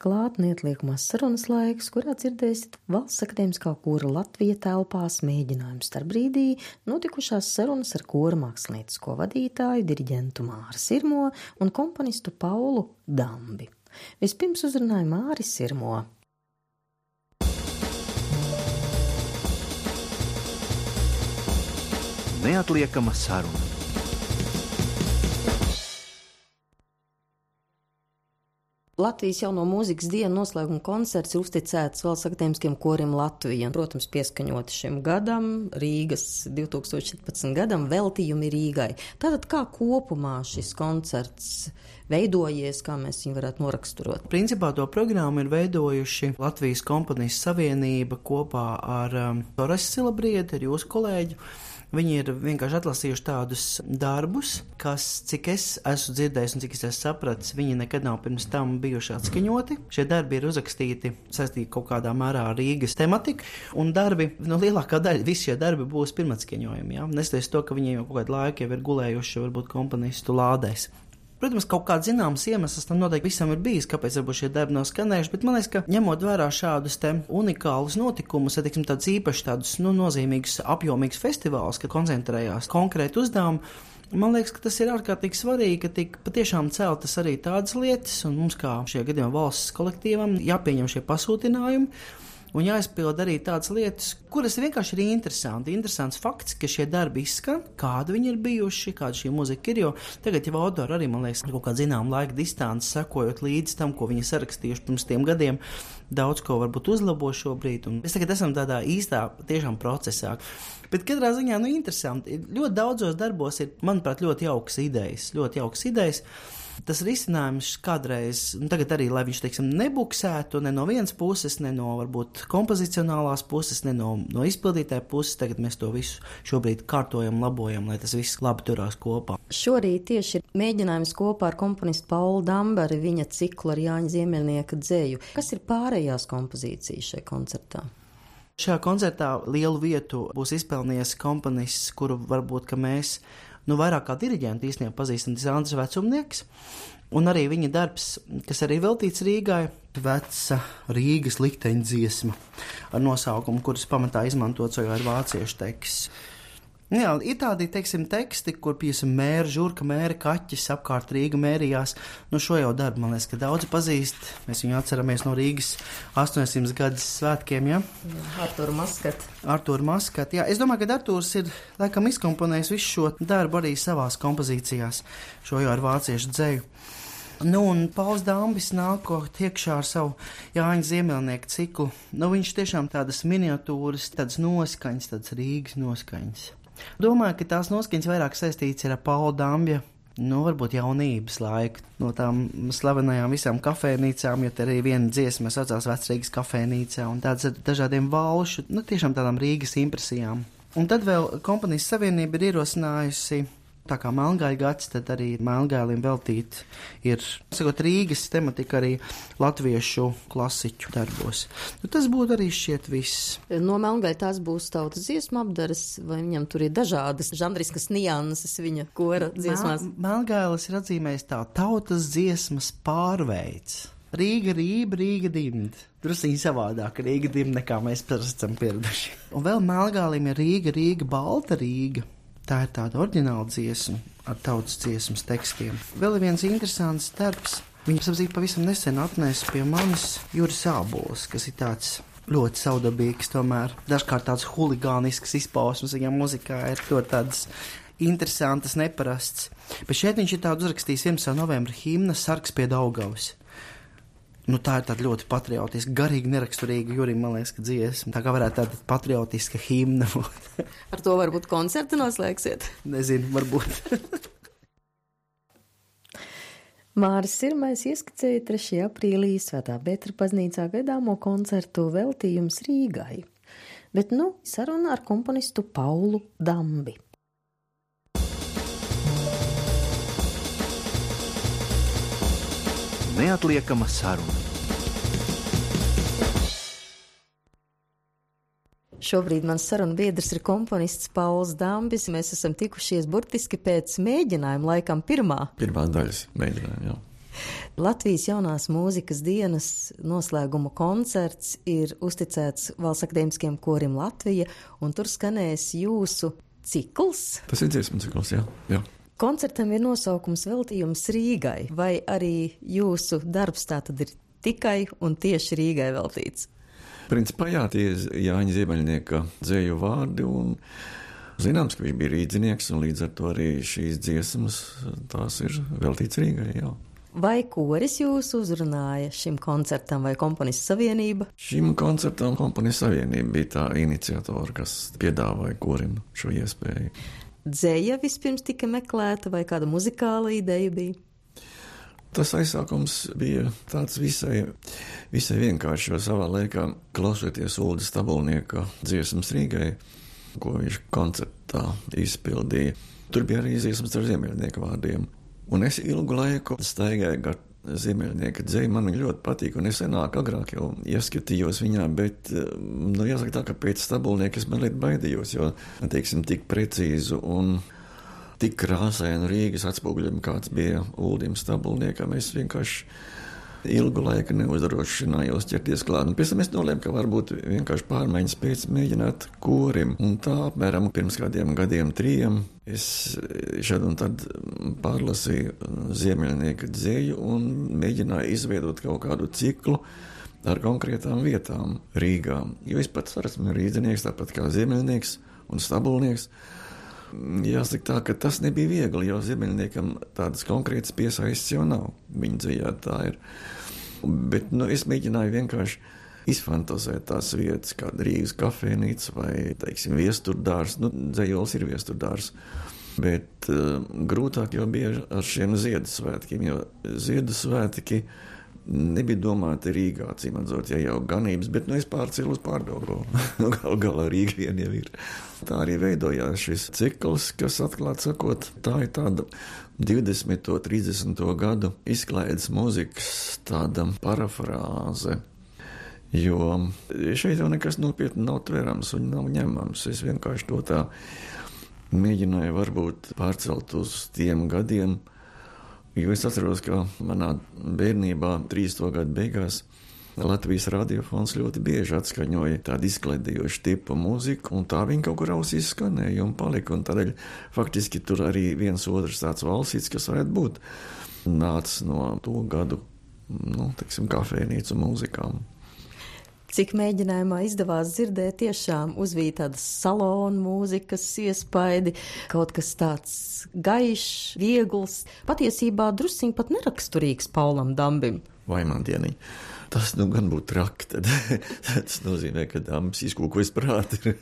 Klāt neatliekamās sarunas laiks, kurā dzirdēsiet Valsts akadēmiskā kora Latvija telpās mēģinājumu starpbrīdī notikušās sarunas ar kora mākslinieckos vadītāju, diriģentu Māri Sirmo un komponistu Paulu Dambi. Vispirms uzrunāja Māri Sirmo. Neatliekama saruna. Latvijas jauno mūzikas dienu noslēguma koncerts ir uzticēts Valsts akadēmiskiem koriem Latvija. Protams, pieskaņoti šim gadam, Rīgas 2014 gadam, veltījumi Rīgai. Tātad kā kopumā šis koncerts veidojies, kā mēs viņu varētu noraksturot? Principā to programmu ir veidojuši Latvijas komponistu savienība kopā ar Toras Silabrieti, ar jūsu kolēģi. Viņi ir vienkārši atlasījuši tādus darbus, kas, cik es esmu dzirdējis un cik es esmu sapratis, viņi nekad nav pirms tam bijuši atskaņoti. Šie darbi ir uzrakstīti saistīti kaut kādā mērā ar Rīgas tematiku, un darbi, lielākā daļa, visi šie darbi būs pirmatskaņojumi, ja? Neskatoties to, ka viņi jau kaut kādu laiku jau ir gulējuši varbūt komponistu lādēs. Protams, kaut kāds zināms iemesls tam noteikti visam ir bijis, kāpēc varbūt šie darbi nav skanējuši, bet man liekas, ka ņemot vērā šādus te unikālus notikumus, tādus īpaši tādus nozīmīgus, apjomīgus festivālus, kad koncentrējās konkrēti uzdevumi, man liekas, ka tas ir ārkārtīgi svarīgi, ka tik patiešām celtas arī tādas lietas, un mums kā šajā gadījumā valsts kolektīvam jāpieņem šie pasūtinājumi. Un jāizpild arī tādas lietas, kuras vienkārši ir interesanti. Interesants fakts, ka šie darbi izskan, kādi viņi ir bijuši, kāda šī muzika ir, jo tagad jau autori arī, man liekas, kaut kā zinām laika distanci, sekojot līdz tam, ko viņi sarakstījuši pirms tiem gadiem, daudz ko varbūt uzlabo šobrīd, un mēs tagad esam tādā īstā tiešām procesā. Bet katrā ziņā, interesanti, ļoti daudzos darbos ir, manuprāt, ļoti jaukas idejas. Tas risinājums kādreiz, tagad arī, lai viņš, nebuksētu ne no vienas puses, ne no varbūt kompozicionālās puses, ne no izpildītāja puses, tagad mēs to visu šobrīd kārtojam, labojam, lai tas viss labi turās kopā. Šorīt tieši ir mēģinājums kopā ar komponistu Paulu Dambi ar viņa ciklu ar Jāņa Ziemeļnieka dzēju. Kas ir pārējās kompozīcijas šajā koncertā? Šajā koncertā lielu vietu būs izpelnījis komponists, kuru varbūt, ka mēs vairāk kā diriģenti īstenībā pazīstam, tas Andris Vecumnieks, un arī viņa darbs, kas arī veltīts Rīgai, veca Rīgas likteņa dziesma ar nosaukumu, kuras pamatā izmantots jau ar vāciešu teksts. Jā, ir tādi, teksti, kur, mēra, žurka, mēra, kaķis apkārt Rīga mērījās. Šo jau darbu, man liekas, ka daudzi pazīst. Mēs viņu atceramies no Rīgas 800 gadus svētkiem, ja? Artūru Maskatu, jā. Es domāju, ka Artūrs ir, laikam, izkomponējis visu šo darbu arī savās kompozīcijās, šo jau ar vāciešu dzēju. Un Pauls Dambis nākot iekšā ar savu Jāņa Ziemeļnieka ciklu. Viņš tiešām tādas miniatūras, tādas noskaņas, tādas Rīgas noskaņas. Domāju, ka tās noskaņas vairāk saistīts ar Paula Dambja, varbūt jaunības laiku, no tām slavenajām visām kafēnīcām, jo te arī viena dziesma saucās Vecrīgas kafēnīcā, un tādas ar dažādiem valšu, tiešām tādām Rīgas impresijām. Un tad vēl komponistu savienība ir ierosinājusi, tā kā Melngaļa gads, tad arī Melngaļiem veltīt ir, Rīgas tematika arī latviešu klasiķu darbos. Tas būtu arī šķiet viss. No Melngaļa tās būs tautas dziesmu apdares, vai viņam tur ir dažādas žanriskas nianses viņa kora dziesmās? Melngaļas ir atzīmējis tā tautas dziesmas pārveids. Rīga rība, Rīga dimd. Drusīņi savādāk Rīga dimd, nekā mēs esam pieraduši. Un vēl Melngaļim ir Rīga, balta Rīga. Tā ir tāda oriģināla dziesma ar tautas dziesmas tekstiem. Vēl ir viens interesants darbs. Viņu pavisam nesen atnesa pie manis Juris Ābols, kas ir tāds ļoti saudabīgs, tomēr dažkārt tāds huligānisks izpausmes viņa muzikā ir ļoti tādas interesantas, neparasts. Bet šeit viņš ir tādu uzrakstījis 11. novembra himna Sargs pie Daugavas. Tā ir tāda ļoti patriotiska, garīgi neraksturīga Jurim, man liekas, ka dziesma. Tā kā varētu tāda patriotiska himna būt. Ar to varbūt koncertu noslēgsiet? Nezinu, varbūt. Māris Sirmais ieskicēja 3. aprīlī Svētā Petra baznīcā gaidāmo koncertu veltījums Rīgai. Bet saruna ar komponistu Paulu Dambi. Neatliekama saruna. Šobrīd mans sarunu biedrs ir komponists Pauls Dambis. Mēs esam tikušies burtiski pēc mēģinājuma, laikam pirmā daļas mēģinājuma, jā. Latvijas jaunās mūzikas dienas noslēguma koncerts ir uzticēts Valsts akadēmiskajam korim Latvija, un tur skanēs jūsu cikls. Tas ir dziesmu cikls, jā. Koncertam ir nosaukums Veltījums Rīgai, vai arī jūsu darbs tātad ir tikai un tieši Rīgai veltīts? Principā jā, tie ir Jāņa Ziemeļnieka dzēju vārdi, un zināms, ka viņš bija rīdzinieks, un līdz ar to arī šīs dziesmas, tās ir veltīts Rīgai, jā. Vai koris jūs uzrunāja šim koncertam vai komponistu savienība? Šim koncertam komponistu savienība bija tā iniciatora, kas piedāvāja korim šo iespēju. Dzeja vispirms tika meklēta vai kāda muzikāla ideja bija? Tas aizsākums bija tāds visai vienkārši, jo savā laikā klausoties Ulda Stabulnieka dziesmas Rīgai, ko viņš koncertā izpildīja, tur bija arī dziesmas ar Ziemeļnieka vārdiem. Un es ilgu laiku staigāju gar Ziemeļnieka dzeju, man viņa ļoti patīk, un es agrāk jau ieskatījos viņā, bet, jāsaka tā, ka pēc Stabulnieka es mazliet baidījos, jo, teiksim, tik precīzu un tik krāsainu Rīgas atspoguļumu, kāds bija Uldim Stabulniekam, es vienkārši ilgu laiku neuzdrošinājos ķerties klāt. Un pēc tam es nolēmu, ka varbūt vienkārši pārmaiņas pēc mēģināt korim. Un tā apmēram pirms kādiem gadiem 3 es šad un tad pārlasīju Ziemeļnieka dzeju un mēģināju izveidot kaut kādu ciklu ar konkrētām vietām Rīgā. Jo es pats esmu rīdzinieks, tāpat kā Ziemeļnieks un Stabulnieks. Jāsaka tā, ka tas nebija viegli, jo Ziemeļniekam tādas konkrētas piesaistes jau nav. Viņa dzejā tā ir. Bet es mēģināju vienkārši izfantazēt tās vietas, kāda Rīgas kafejnīca vai, teiksim, viesturdārs. Dzejols ir viesturdārs. Bet grūtāk jau bija ar šiem Ziedasvētkiem, jo Ziedasvētki nebija domāti Rīgā, cīmadzot, ja jau ganības, bet es pārcēlu uz Pārdaugava. Galā Rīga vien jau ir. Tā arī veidojās šis cikls, kas atklāt sakot, tā ir tāda 20. 30. gadu izklaides mūzikas tāda parafrāze, jo šeit jau nekas nopietni nav tverams un nav ņemams. Es vienkārši to tā mēģināju varbūt pārcelt uz tiem gadiem, jo es atceros, ka manā bērnībā 30. gadu beigās Latvijas radiofons ļoti bieži atskaņoja tādu izklaidējošu tipu mūziku, un tā viņa kaut kur ausīs skanēja un palika, un tādēļ faktiski tur arī viens otrs tāds valsīts, kas varētu būt nācis no to gadu, teiksim, kafejnīcu mūzikām. Cik mēģinājumā izdevās dzirdēt, tiešām uzvīt tādas salonu mūzikas iespaidi, kaut kas tāds gaišs, viegls, patiesībā drusciņ pat neraksturīgs Paulam Dambim. Vai man dieniņ? Tas gan būtu traki, tad tas nozīmē, ka Dambis izkūkojas prāti.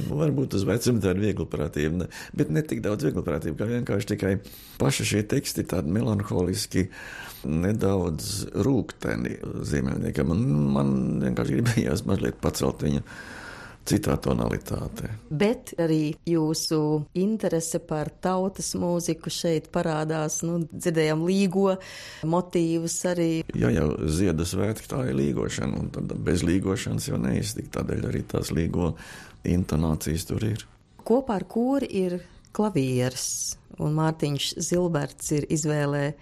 Varbūt uz vecumu tāda vieglprātība, bet ne tik daudz vieglprātība, kā vienkārši tikai paši šie teksti tādi melanholiski, nedaudz rūgteni Ziemeļniekam. Man vienkārši gribējās mazliet pacelt viņu citā tonalitātē. Bet arī jūsu interese par tautas mūziku šeit parādās, dzirdējām līgo motīvus arī. Ja jau Ziedasvētki, tā ir līgošana, un tad bez līgošanas jau neiztikt, tādēļ arī tās līgo intonācijas tur ir. Kopā ar kori ir klavieres, un Mārtiņš Zilberts ir izvēlē.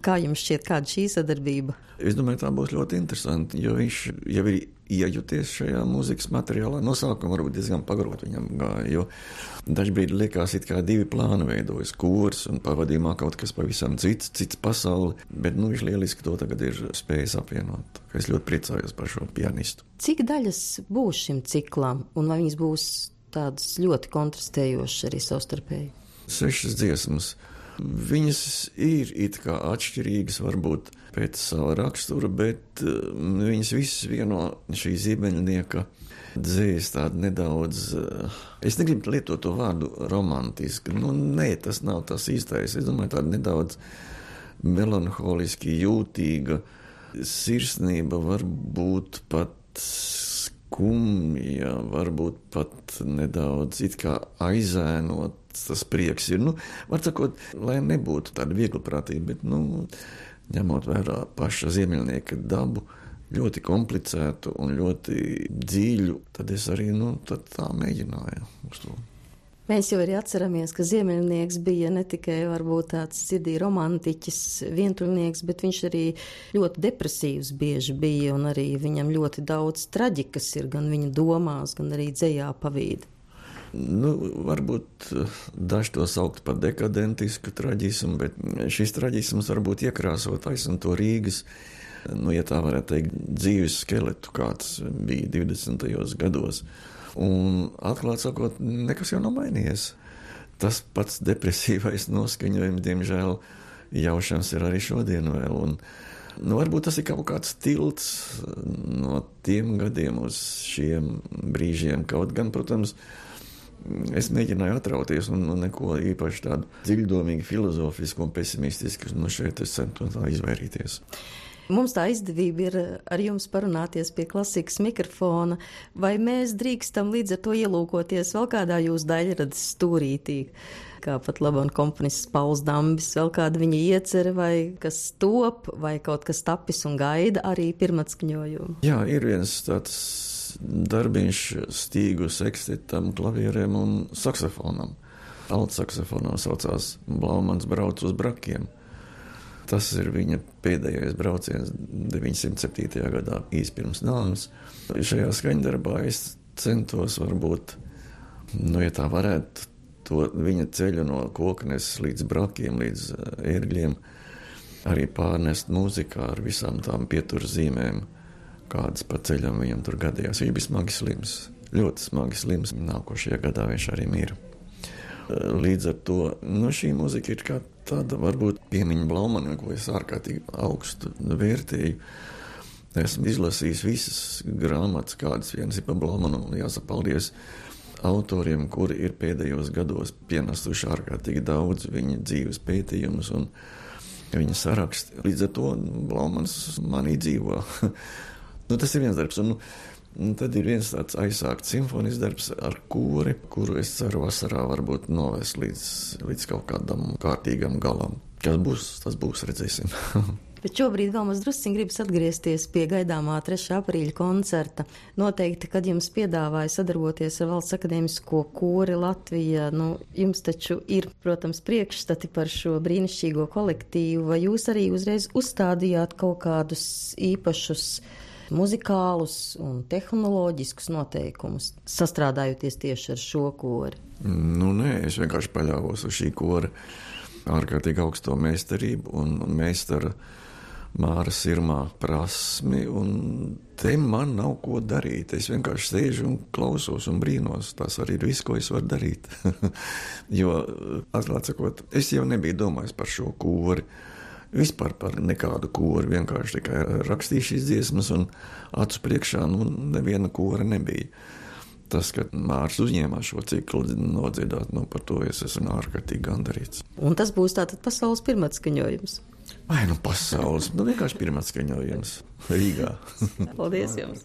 Kā jums šķiet, kāda šī sadarbība? Es domāju, tā būs ļoti interesanti, jo viņš jau ir iejuties šajā mūzikas materiālā. Nosākuma varbūt diezgan pagrot viņam gāja, jo dažbrīd liekas, it kā 2 plāni veidojas, kurs un pavadījumā kaut kas pavisam cits pasauli, bet viņš lieliski to tagad ir spējis apvienot. Es ļoti priecājos par šo pianistu. Cik daļas būs šim ciklam, un vai viņas būs tādas ļoti kontrastējošas arī savstarpēji? 6 dziesmas. Viņas ir it kā atšķirīgas varbūt pēc sava rakstura, bet viņas visas vieno šī Ziemeļnieka dzējas tādu nedaudz, es negribu lietot to vārdu romantiski, nē, tas nav tas īstais, es domāju tāda nedaudz melanholiski jūtīga sirsnība, varbūt pat skumja, varbūt pat nedaudz it kā aizēnot. Tas prieks ir, var sakot, lai nebūtu tāda vieglprātība, bet, ņemot vērā paša Ziemeļnieka dabu, ļoti komplicētu un ļoti dziļu, tad es arī, tad tā mēģināju uz to. Mēs jau arī atceramies, ka Ziemeļnieks bija ne tikai varbūt tāds sirdī romantiķis, vientuļnieks, bet viņš arī ļoti depresīvs bieži bija, un arī viņam ļoti daudz traģikas ir gan viņa domās, gan arī dzejā pavīd. Nu, varbūt daži to saukt par dekadentisku traģismu, bet šis traģisms varbūt iekrāso taisnu to Rīgas, ja tā varētu teikt, dzīves skeletu, kāds bija 20. gados. Un atklāt sakot, nekas jau nav mainījies. Tas pats depresīvais noskaņojums, diemžēl, jaušams ir arī šodien vēl. Un, varbūt tas ir kaut kāds tilts no tiem gadiem uz šiem brīžiem. Kaut gan, protams, es mēģināju atrauties un neko īpaši tādu dziļdomīgi filozofisku un pesimistisku, šeit es centos tā izvairīties. Mums tā izdevība ir ar jums parunāties pie klasikas mikrofona, vai mēs drīkstam līdz ar to ielūkoties vēl kādā jūsu daļradas stūrītī, kā pat labam komponists Pauls Dambis, vēl kāda viņa iecere, vai kas top, vai kaut kas tapis un gaida arī pirmatskaņojumu? Jā, ir viens tāds darbiņš stīgu sekstitam, klavierēm un saksofonam. Altsaksofonam saucās Blaumans brauc uz brakiem. Tas ir viņa pēdējais brauciens 907. gadā, īsi pirms nāves. Šajā skaņdarbā es centos varbūt, ja tā varētu, to viņa ceļu no Koknes līdz brakiem, līdz ērgļiem, arī pārnest mūzikā ar visām tām pieturzīmēm, kādas pa ceļam viņam tur gadījās. Viņš bija smagi slims, ļoti smagi slims. Nākošajā gadā viņš arī mīra. Līdz ar to, šī mūzika ir kā tāda, varbūt piemiņa Blaumanam, ko es ārkārtīgi augstu vērtēju. Esmu izlasījis visas grāmatas, kādas vienas ir par Blaumanu, un jāsaka paldies autoriem, kuri ir pēdējos gados pienesuši ārkārtīgi daudz viņa dzīves pētījumus un viņa saraksti. Līdz ar to Blaumans manī dzīvo. Tas ir viens darbs, un tad ir viens tāds aizsākts simfonisks darbs ar kori, kuru es ceru vasarā varbūt novest līdz kaut kādam kārtīgam galam. Kas būs, tas būs, redzēsim. Bet šobrīd vēl mums drusciņ gribas atgriezties pie gaidāmā 3. aprīļa koncerta. Noteikti, kad jums piedāvāja sadarboties ar Valsts akadēmisko kori Latvijā, jums taču ir, protams, priekšstati par šo brīnišķīgo kolektīvu, vai jūs arī uzreiz uzstādījāt kaut kādus īpašus muzikālus un tehnoloģiskus noteikumus, sastrādājoties tieši ar šo kori? Nē, es vienkārši paļāvos uz šī kora ārkārtīgi augsto meistarību un meistara Māra Sirmā prasmi, un te man nav ko darīt. Es vienkārši sēžu un klausos un brīnos. Tas arī ir viss, ko es varu darīt. Jo, atklāt sakot, es jau nebiju domājis par šo kori. Vispār par nekādu kori, vienkārši tikai rakstīju šīs dziesmas un acu priekšā, neviena kora nebija. Tas, ka Mārs uzņēmās šo ciklu nodziedāt, par to es esmu ārkārtīgi gandarīts. Un tas būs tātad pasaules pirmatskaņojums? Pasaules, vienkārši pirmatskaņojums Rīgā. Paldies jums!